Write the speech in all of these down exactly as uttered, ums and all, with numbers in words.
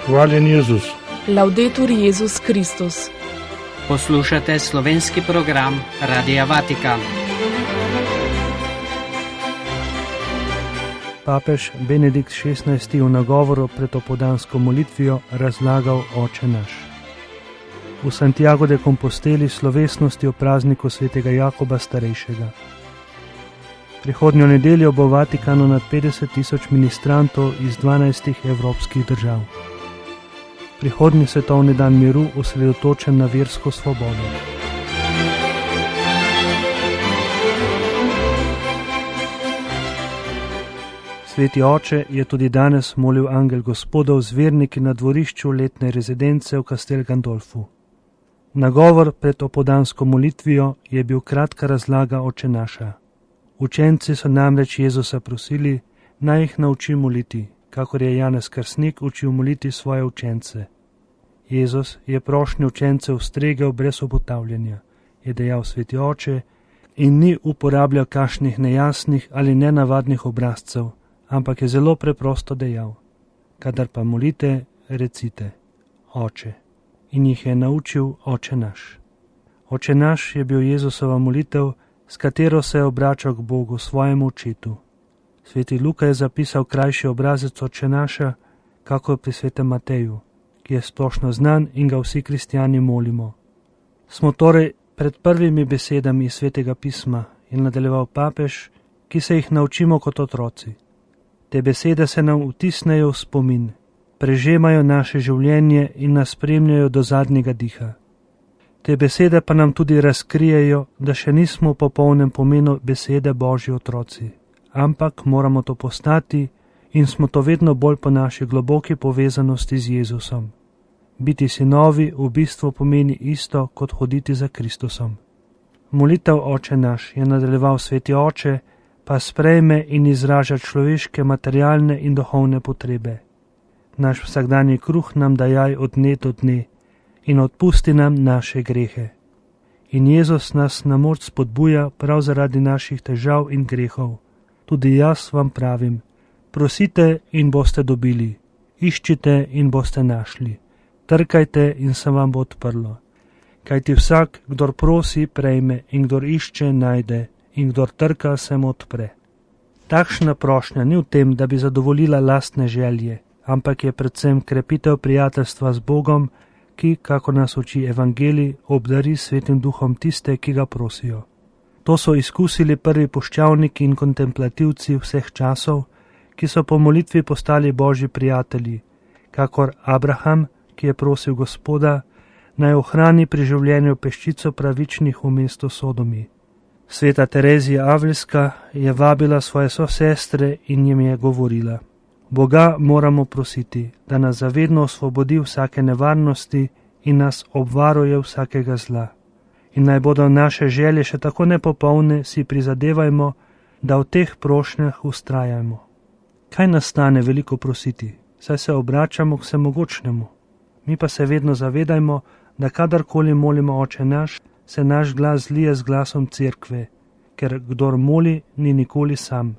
Hvaljen Jezus. Laudetur Jezus Kristus. Poslušate slovenski program Radia Vatikan. Papež Benedikt šestnajsti v nagovoru pred opoldansko molitvijo razlagal Oče naš. V Santiago de Composteli slovesnosti o prazniku svetega Jakoba starejšega. Prihodnjo nedeljo bo v Vatikanu nad petdeset tisoč ministrantov iz dvanajstih evropskih držav. Prihodnji svetovni dan miru osredotočen na versko svobodo. Sveti oče je tudi danes molil angel Gospodov z verniki na dvorišču letne rezidence v Castel Gandolfu. Nagovor pred opoldansko molitvijo je bil kratka razlaga Oče naša. Učenci so namreč Jezusa prosili, naj jih nauči moliti, kakor je Janez Krstnik učil moliti svoje učence. Jezus je prošnje učencev stregel brez obotavljanja, je dejal sveti oče, in ni uporabljal kakšnih nejasnih ali nenavadnih obrazcev, ampak je zelo preprosto dejal: kadar pa molite, recite Oče. In jih je naučil Oče naš. Oče naš je bil Jezusova molitev, s katero se je obračal k Bogu, svojemu očetu. Sveti Luka je zapisal krajši obrazec Oče naša, kakor pri svetem Mateju, ki je splošno znan in ga vsi kristjani molimo. Smo torej pred prvimi besedami iz svetega pisma, in nadaljeval papež, ki se jih naučimo kot otroci. Te besede se nam vtisnejo v spomin, prežemajo naše življenje in nas spremljajo do zadnjega diha. Te besede pa nam tudi razkrijejo, da še nismo v popolnem pomenu besede Božji otroci, ampak moramo to postati in smo to vedno bolj po naši globoki povezanosti z Jezusom. Biti sinovi v bistvu pomeni isto, kot hoditi za Kristusom. Molitev Oče naš, je nadaljeval sveti oče, pa sprejme in izraža človeške materialne in duhovne potrebe. Naš vsakdanji kruh nam dajaj od dne do dne in odpusti nam naše grehe. In Jezus nas na moč spodbuja prav zaradi naših težav in grehov. Tudi jaz vam pravim, prosite in boste dobili, iščite in boste našli, trkajte in se vam bo odprlo. Kajti vsak, kdor prosi, prejme, in kdor išče, najde, in kdor trka, se mu odpre. Takšna prošnja ni v tem, da bi zadovoljila lastne želje, ampak je predvsem krepitev prijateljstva z Bogom, ki, kako nas uči evangelij, obdari svetim duhom tiste, ki ga prosijo. To so izkusili prvi puščavniki in kontemplativci vseh časov, ki so po molitvi postali Božji prijatelji, kakor Abraham, ki je prosil Gospoda, naj ohrani pri življenju peščico pravičnih v mestu Sodomi. Sveta Terezija Avljska je vabila svoje sosestre in jim je govorila: Boga moramo prositi, da nas zavedno osvobodi vsake nevarnosti in nas obvaruje vsakega zla. In naj bodo naše želje še tako nepopolne, si prizadevajmo, da v teh prošnjah vztrajamo. Kaj nas stane veliko prositi, saj se obračamo k vsemogočnemu. Mi pa se vedno zavedajmo, da kadarkoli molimo Oče naš, se naš glas zlije z glasom cerkve, ker kdor moli, ni nikoli sam.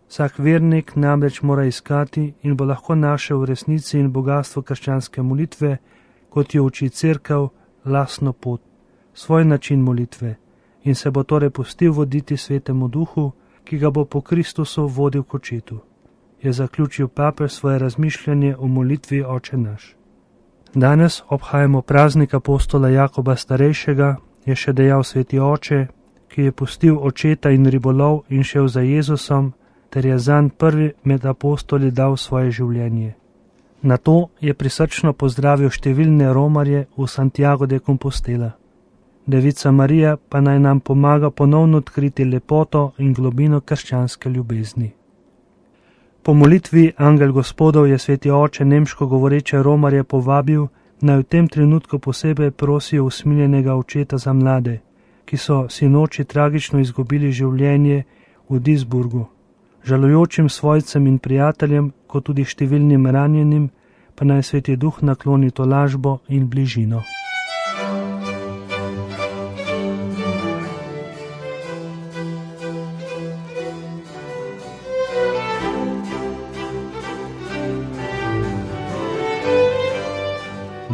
Vsak vernik namreč mora iskati in bo lahko našel v resnici in bogatstvo krščanske molitve, kot jo uči cerkev, lastno pot, svoj način molitve, in se bo torej pustil voditi svetemu duhu, ki ga bo po Kristusu vodil k očetu. Je zaključil papež svoje razmišljanje o molitvi Oče naš. Danes obhajamo praznik apostola Jakoba starejšega, je še dejal sveti oče, ki je pustil očeta in ribolov in šel za Jezusom, ter je zanj prvi med apostoli dal svoje življenje. Na to je prisrčno pozdravil številne romarje v Santiago de Compostela. Devica Marija pa naj nam pomaga ponovno odkriti lepoto in globino krščanske ljubezni. Po molitvi angel Gospodov je sveti oče nemško govoreče romarje povabil, naj v tem trenutku posebej prosijo usmiljenega očeta za mlade, ki so sinoči tragično izgubili življenje v Duisburgu. Žalujočim svojcem in prijateljem, kot tudi številnim ranjenim, pa naj sveti duh nakloni tolažbo in bližino.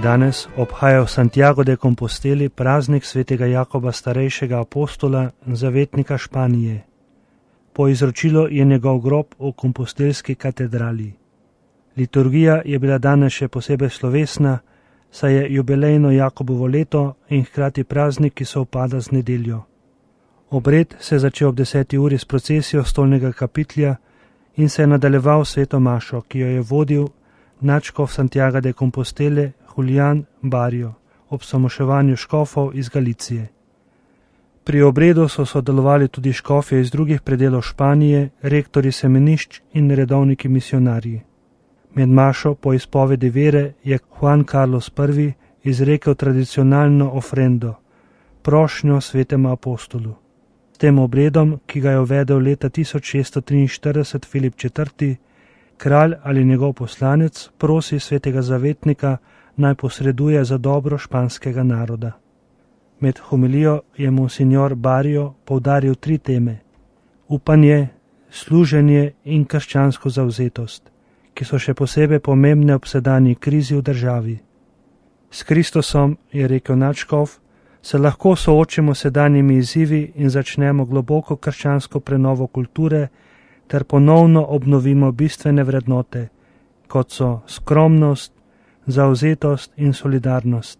Danes obhaja v Santiago de Composteli praznik svetega Jakoba starejšega apostola, zavetnika Španije. Po izročilu je njegov grob v kompostelski katedrali. Liturgija je bila danes še posebej slovesna, saj je jubilejno Jakobovo leto in hkrati praznik, ki se upada z nedeljo. Obred se je začel ob deseti uri s procesijo stolnega kapitlja in se je nadaljeval sveto mašo, ki jo je vodil nadškof Santiago de Compostele Julián Barrio ob samoševanju škofov iz Galicije. Pri obredu so sodelovali tudi škofje iz drugih predelov Španije, rektori semenišč in redovniki misionarji. Med mašo po izpovedi vere je Juan Carlos prvi izrekel tradicionalno ofrendo, prošnjo svetemu apostolu. S tem obredom, ki ga je uvedel leta tisoč šeststo triinštirideset Filip četrti, kralj ali njegov poslanec prosi svetega zavetnika, naj posreduje za dobro španskega naroda. Med homilijo je monsignor Barrio poudaril tri teme: upanje, služenje in krščansko zavzetost, ki so še posebej pomembne ob sedanji krizi v državi. S Kristusom, je rekel nadškof, se lahko soočimo s sedanjimi izzivi in začnemo globoko krščansko prenovo kulture ter ponovno obnovimo bistvene vrednote, kot so skromnost, zavzetost in solidarnost.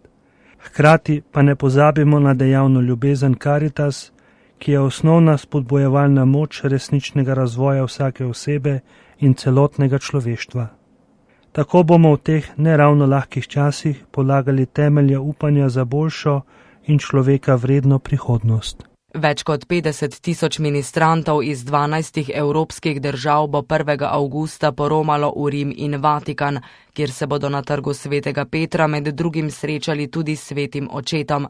Hkrati pa ne pozabimo na dejavno ljubezen Caritas, ki je osnovna spodbojevalna moč resničnega razvoja vsake osebe in celotnega človeštva. Tako bomo v teh neravno lahkih časih polagali temelje upanja za boljšo in človeka vredno prihodnost. Več kot petdeset tisoč ministrantov iz dvanajstih evropskih držav bo prvega avgusta poromalo v Rim in Vatikan, kjer se bodo na trgu svetega Petra med drugim srečali tudi s svetim očetom.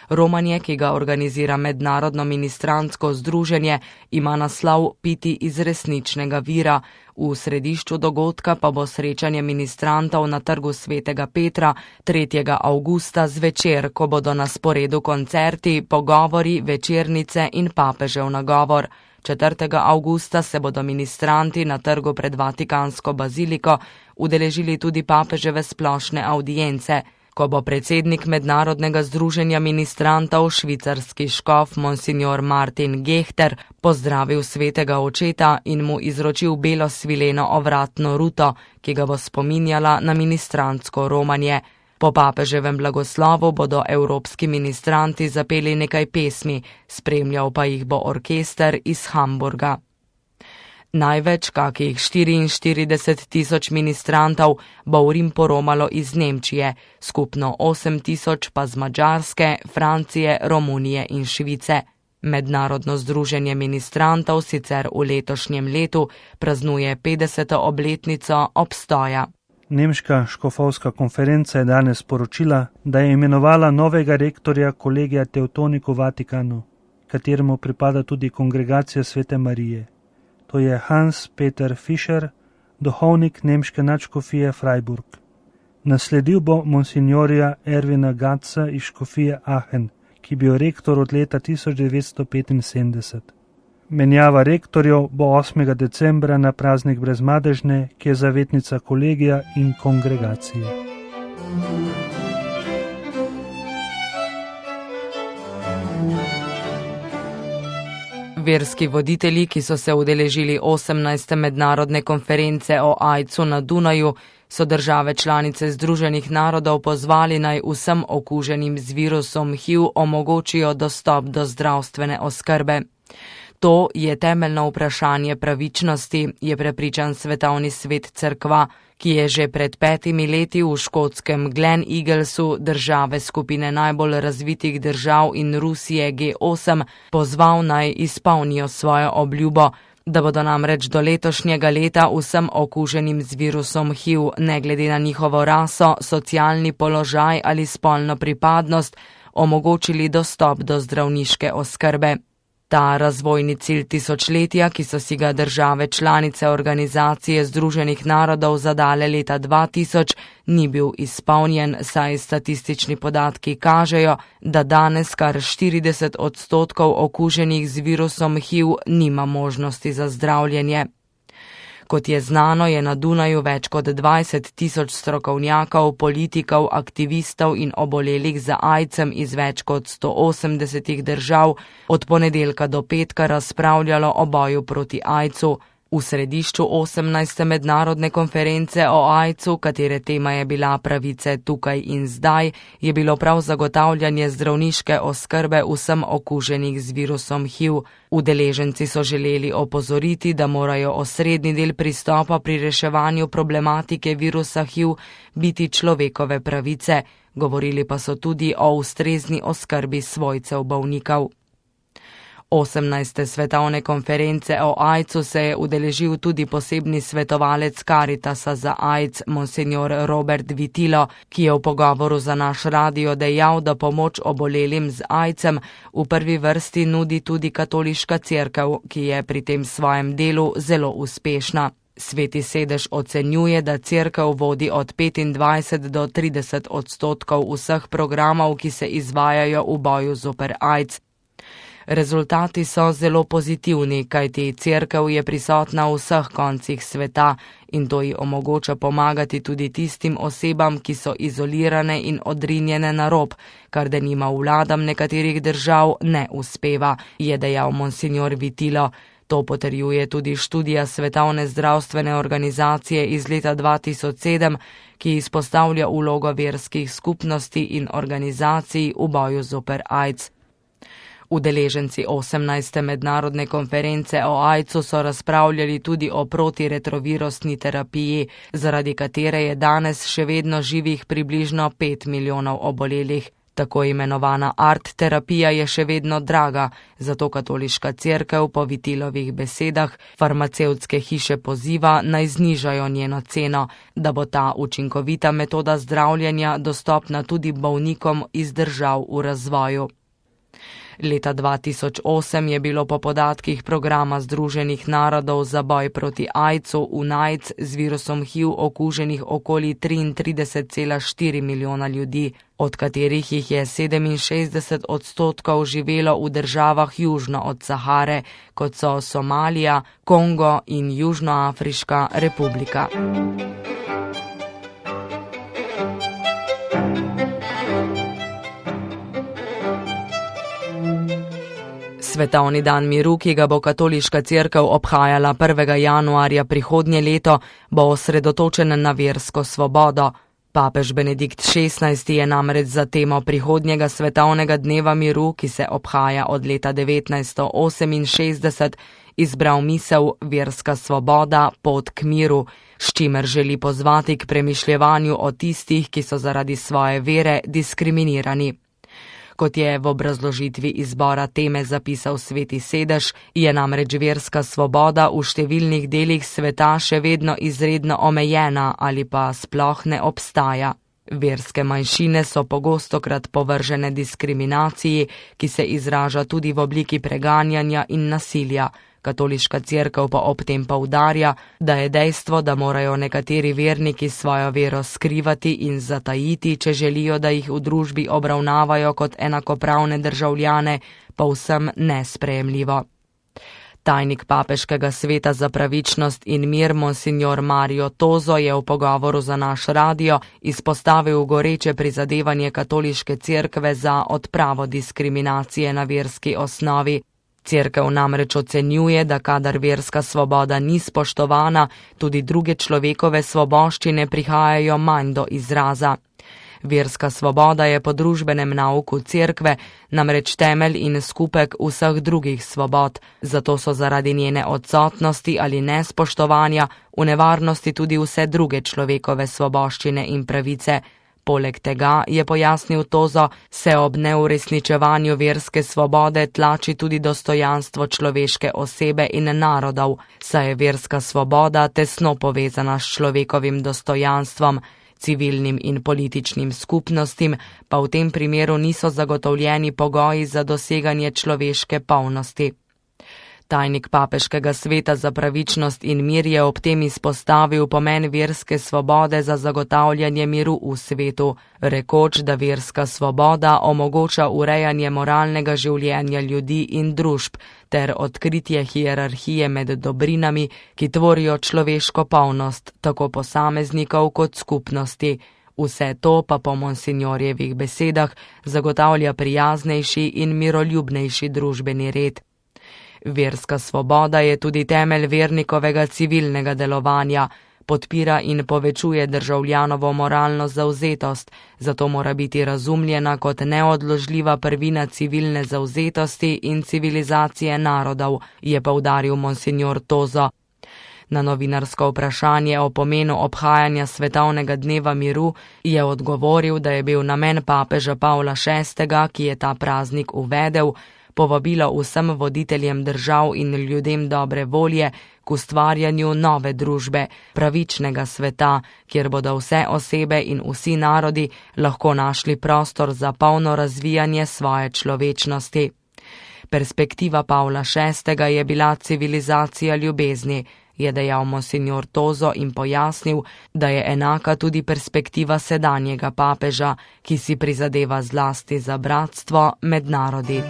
Romanje, ki ga organizira Mednarodno ministrantsko združenje, ima naslov Piti iz resničnega vira. V središču dogodka pa bo srečanje ministrantov na trgu svetega Petra tretjega avgusta zvečer, ko bodo na sporedu koncerti, pogovori, večernice in papežev nagovor. četrtega avgusta se bodo ministranti na trgu pred Vatikansko baziliko udeležili tudi papeževe splošne avdience, ko bo predsednik Mednarodnega združenja ministrantov, švicarski škof monsignor Martin Gehter, pozdravil svetega očeta in mu izročil belo svileno ovratno ruto, ki ga bo spominjala na ministrantsko romanje. Po papeževem blagoslovu bodo evropski ministranti zapeli nekaj pesmi, spremljal pa jih bo orkester iz Hamburga. Največ, kakih štiriinštirideset tisoč ministrantov, bo v Rim poromalo iz Nemčije, skupno osem tisoč pa z Madžarske, Francije, Romunije in Švice. Mednarodno združenje ministrantov sicer v letošnjem letu praznuje petdeseto obletnico obstoja. Nemška škofovska konferenca je danes poročila, da je imenovala novega rektorja kolegija Teutonik v Vatikanu, kateremu pripada tudi kongregacija Svete Marije. To je Hans-Peter Fischer, duhovnik nemške nadškofije Freiburg. Nasledil bo monsignorja Ervina Gatza iz škofije Aachen, ki bil rektor od leta tisoč devetsto petinsedemdeset. Menjava rektorjev bo osmega decembra na praznik Brezmadežne, ki je zavetnica kolegija in kongregacije. Verski voditelji, ki so se udeležili osemnajste mednarodne konference o aidsu na Dunaju, so države članice Združenih narodov pozvali, naj vsem okuženim z virusom H I V omogočijo dostop do zdravstvene oskrbe. To je temeljno vprašanje pravičnosti, je prepričan Svetovni svet cerkva, ki je že pred petimi leti v škotskem Glen Eaglesu države skupine najbolj razvitih držav in Rusije G osem pozval, naj izpolnijo svojo obljubo, da bodo namreč do letošnjega leta vsem okuženim z virusom H I V, ne glede na njihovo raso, socialni položaj ali spolno pripadnost, omogočili dostop do zdravniške oskrbe. Ta razvojni cilj tisočletja, ki so si ga države članice Organizacije Združenih narodov zadale leta dva tisoč, ni bil izpolnjen, saj statistični podatki kažejo, da danes kar štirideset odstotkov okuženih z virusom H I V nima možnosti za zdravljenje. Kot je znano, je na Dunaju več kot dvajset tisoč strokovnjakov, politikov, aktivistov in obolelih za aidsom iz več kot sto osemdesetih držav od ponedeljka do petka razpravljalo o boju proti aidsu. V središču osemnajste mednarodne konference o aidsu, katere tema je bila pravice tukaj in zdaj, je bilo prav zagotavljanje zdravniške oskrbe vsem okuženih z virusom H I V. Udeleženci so želeli opozoriti, da morajo osrednji del pristopa pri reševanju problematike virusa H I V biti človekove pravice, govorili pa so tudi o ustrezni oskrbi svojcev bolnikov. osemnajste svetovne konference o aidsu se je udeležil tudi posebni svetovalec Karitasa za aids, monsignor Robert Vitilo, ki je v pogovoru za naš radio dejal, da pomoč obolelim z aidsom v prvi vrsti nudi tudi katoliška cerkev, ki je pri tem svojem delu zelo uspešna. Sveti sedež ocenjuje, da cerkev vodi od petindvajset do trideset odstotkov vseh programov, ki se izvajajo v boju zoper aids. Rezultati so zelo pozitivni, kajti cerkev je prisotna v vseh koncih sveta in to ji omogoča pomagati tudi tistim osebam, ki so izolirane in odrinjene na rob, kar denimo vladam nekaterih držav ne uspeva, je dejal monsignor Vitilo. To potrjuje tudi študija Svetovne zdravstvene organizacije iz leta dva tisoč sedem, ki izpostavlja vlogo verskih skupnosti in organizacij v boju zoper aids. Udeleženci osemnajste mednarodne konference o aidsu so razpravljali tudi o protiretrovirusni terapiji, zaradi katere je danes še vedno živih približno pet milijonov obolelih. Tako imenovana art terapija je še vedno draga, zato katoliška cerkev po Vitilovih besedah farmacevtske hiše poziva naj znižajo njeno ceno, da bo ta učinkovita metoda zdravljenja dostopna tudi bolnikom iz držav v razvoju. Leta dva tisoč osem je bilo po podatkih programa Združenih narodov za boj proti aidsu U N A I D S z virusom H I V okuženih okoli triintrideset cela štiri milijona ljudi, od katerih jih je sedeminšestdeset odstotkov živelo v državah južno od Sahare, kot so Somalija, Kongo in Južnoafriška republika. Svetovni dan miru, ki ga bo katoliška cerkev obhajala prvega januarja prihodnje leto, bo osredotočen na versko svobodo. Papež Benedikt šestnajsti je namreč za temo prihodnjega svetovnega dneva miru, ki se obhaja od leta devetnajststo oseminšestdeset, izbral misel verska svoboda, pot k miru, s čimer želi pozvati k premišljevanju o tistih, ki so zaradi svoje vere diskriminirani. Kot je v obrazložitvi izbora teme zapisal Sveti sedež, je namreč verska svoboda v številnih delih sveta še vedno izredno omejena ali pa sploh ne obstaja. Verske manjšine so pogostokrat povržene diskriminaciji, ki se izraža tudi v obliki preganjanja in nasilja. Katoliška cerkev pa ob tem poudarja, da je dejstvo, da morajo nekateri verniki svojo vero skrivati in zatajiti, če želijo, da jih v družbi obravnavajo kot enakopravne državljane, povsem nesprejemljivo. Tajnik papeškega sveta za pravičnost in mir monsignor Mario Tozo je v pogovoru za naš radio izpostavil goreče prizadevanje katoliške cerkve za odpravo diskriminacije na verski osnovi. Cerkev namreč ocenjuje, da kadar verska svoboda ni spoštovana, tudi druge človekove svoboščine prihajajo manj do izraza. Verska svoboda je po družbenem nauku cerkve namreč temelj in skupek vseh drugih svobod, zato so zaradi njene odsotnosti ali nespoštovanja v nevarnosti tudi vse druge človekove svoboščine in pravice. Poleg tega, je pojasnil Tozo, se ob neuresničevanju verske svobode tlači tudi dostojanstvo človeške osebe in narodov, saj je verska svoboda tesno povezana s človekovim dostojanstvom, civilnim in političnim skupnostim pa v tem primeru niso zagotovljeni pogoji za doseganje človeške polnosti. Tajnik papeškega sveta za pravičnost in mir je ob tem izpostavil pomen verske svobode za zagotavljanje miru v svetu, rekoč, da verska svoboda omogoča urejanje moralnega življenja ljudi in družb ter odkritje hierarhije med dobrinami, ki tvorijo človeško polnost, tako posameznikov kot skupnosti. Vse to pa po monsinjorjevih besedah zagotavlja prijaznejši in miroljubnejši družbeni red. Verska svoboda je tudi temelj vernikovega civilnega delovanja, podpira in povečuje državljanovo moralno zavzetost, zato mora biti razumljena kot neodložljiva prvina civilne zavzetosti in civilizacije narodov, je poudaril monsinjor Tozo. Na novinarsko vprašanje o pomenu obhajanja svetovnega dneva miru je odgovoril, da je bil namen papeža Pavla šestega, ki je ta praznik uvedel, povabilo vsem voditeljem držav in ljudem dobre volje k ustvarjanju nove družbe, pravičnega sveta, kjer bodo vse osebe in vsi narodi lahko našli prostor za polno razvijanje svoje človečnosti. Perspektiva Pavla šestega je bila civilizacija ljubezni, je dejal monsinjor Tozo in pojasnil, da je enaka tudi perspektiva sedanjega papeža, ki si prizadeva zlasti za bratstvo med narodi.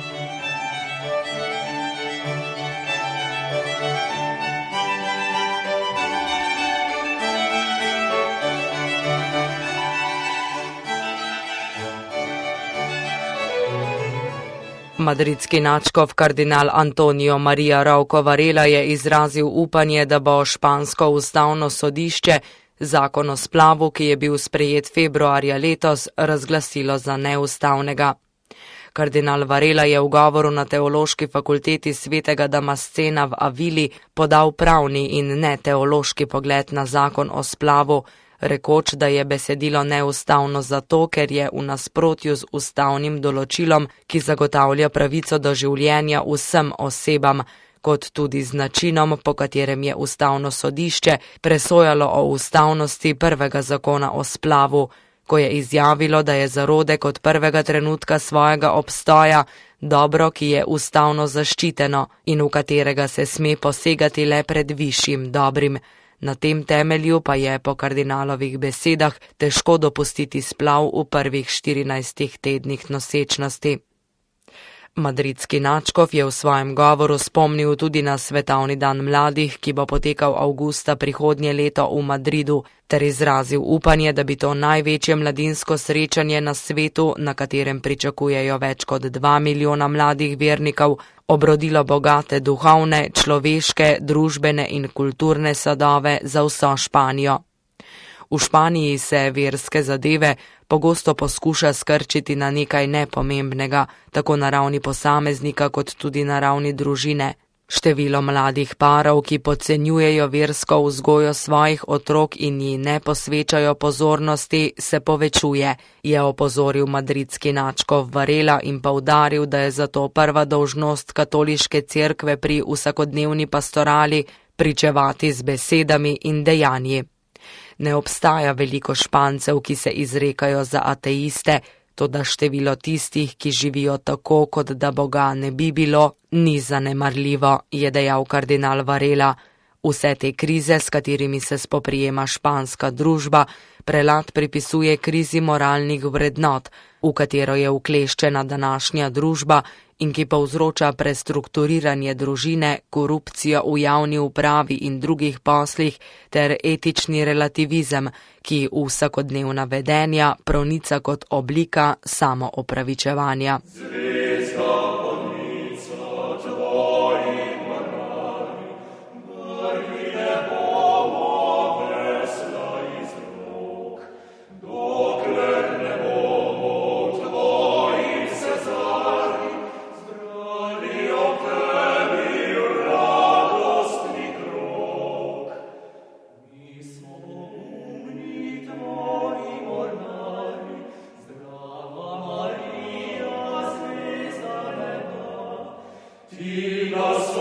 Madridski nadškof kardinal Antonio Maria Rauco Varela je izrazil upanje, da bo špansko ustavno sodišče zakon o splavu, ki je bil sprejet februarja letos, razglasilo za neustavnega. Kardinal Varela je v govoru na Teološki fakulteti svetega Damascena v Avili podal pravni in ne teološki pogled na zakon o splavu, rekoč, da je besedilo neustavno zato, ker je v nasprotju z ustavnim določilom, ki zagotavlja pravico do življenja vsem osebam, kot tudi z načinom, po katerem je ustavno sodišče presojalo o ustavnosti prvega zakona o splavu, ko je izjavilo, da je zarodek od prvega trenutka svojega obstoja dobro, ki je ustavno zaščiteno in v katerega se sme posegati le pred višjim dobrim. Na tem temelju pa je po kardinalovih besedah težko dopustiti splav v prvih štirinajstih tednih nosečnosti. Madridski nadškof je v svojem govoru spomnil tudi na svetovni dan mladih, ki bo potekal avgusta prihodnje leto v Madridu, ter izrazil upanje, da bi to največje mladinsko srečanje na svetu, na katerem pričakujejo več kot dva milijona mladih vernikov, obrodilo bogate duhovne, človeške, družbene in kulturne sadove za vso Španijo. V Španiji se verske zadeve pogosto poskuša skrčiti na nekaj nepomembnega, tako na ravni posameznika kot tudi na ravni družine. Število mladih parov, ki podcenjujejo versko vzgojo svojih otrok in ji ne posvečajo pozornosti, se povečuje, je opozoril madridski nadškof Varela in poudaril, da je zato prva dolžnost katoliške cerkve pri vsakodnevni pastorali pričevati z besedami in dejanji. Ne obstaja veliko Špancev, ki se izrekajo za ateiste, toda število tistih, ki živijo tako, kot da Boga ne bi bilo, ni zanemarljivo, je dejal kardinal Varela. Vse te krize, s katerimi se spoprijema španska družba, prelad pripisuje krizi moralnih vrednot, v katero je ukleščena današnja družba in ki povzroča prestrukturiranje družine, korupcijo v javni upravi in drugih poslih ter etični relativizem, ki v vsakodnevna vedenja pronica kot oblika samoopravičevanja. Ti nas